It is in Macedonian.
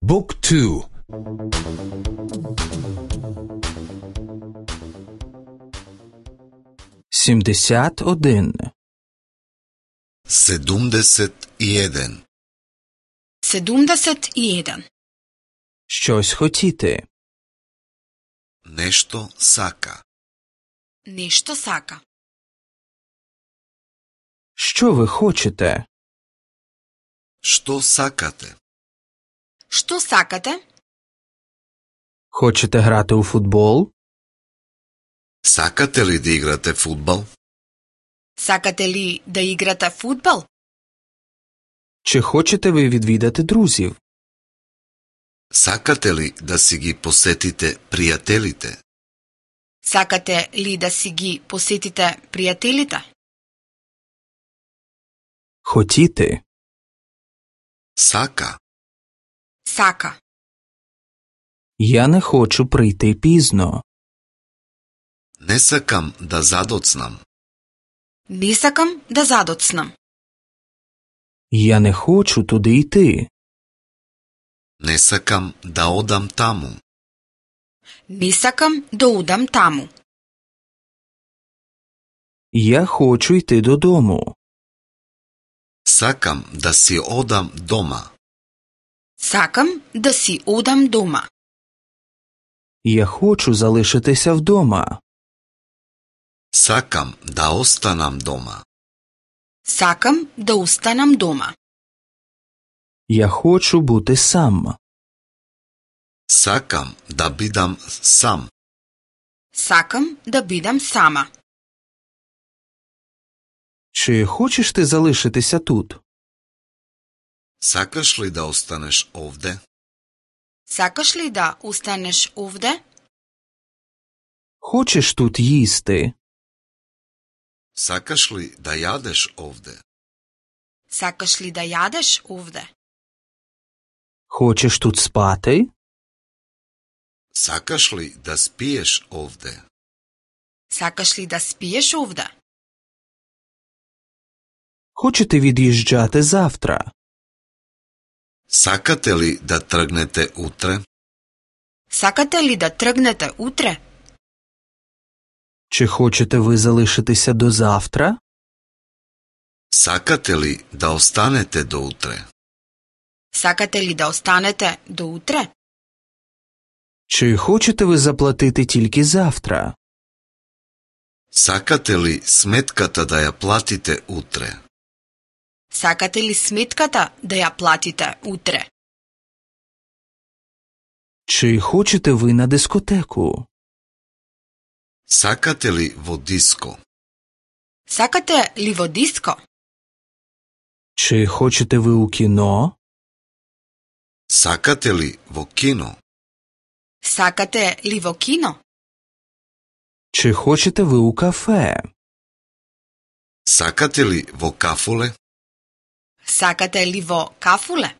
Book 2. 71. 71. 71. Щось хотіти. Нешто сака. Нешто сака. Що ви хочете? Што сакате? Што сакате? Хочете грати у футбол? Сакате ли да играте фудбал? Сакате ли да играте фудбал? Чи хочете ви відвідати друзів? Сакате ли да си ги посетите пријателите? Сакате ли да си ги посетите пријателите? Хотіти. Сака. Сака. Я не хочу прийти пізно. Не сакам да задоцнам. Не сакам да задоцнам. Я не хочу туди йти. Не сакам да одам таму. Не сакам да удам таму. Я хочу йти додому. Сакам да си одам дома. Сакам да си одам дома. Я хочу залишитися вдома. Сакам да останам дома. Сакам да останам дома. Я хочу бути сам. Сакам да бидам сам. Сакам да бидам сама. Чи хочеш ти залишитися тут? Сакаш ли да останеш овде? Сакаш ли да останеш овде? Хочеш тут їсти? Сакаш ли да јадеш овде? Сакаш ли да јадеш овде? Хочеш тут спати? Сакаш ли да спиеш овде? Сакаш ли да спиеш овде? Хочете від'їжджати завтра? Сакате ли да тргнете утре? Сакате ли да тргнете утре? Чи хочете ви залишитися до завтра? Сакате ли да останете до утре? Сакате ли да останете до утре? Чи хочете ви заплатити тільки завтра? Сакате ли сметката да ја платите утре? Сакате ли сметката да ја платите утре? Чи хочете ви на дискотеку? Сакате ли во диско? Сакате ли во диско? Чи хочете ви у кіно? Сакате ли во кино? Сакате ли во кино? Чи хочете ви у кафе? Сакате ли во кафуле? Сакате ли во кафуле?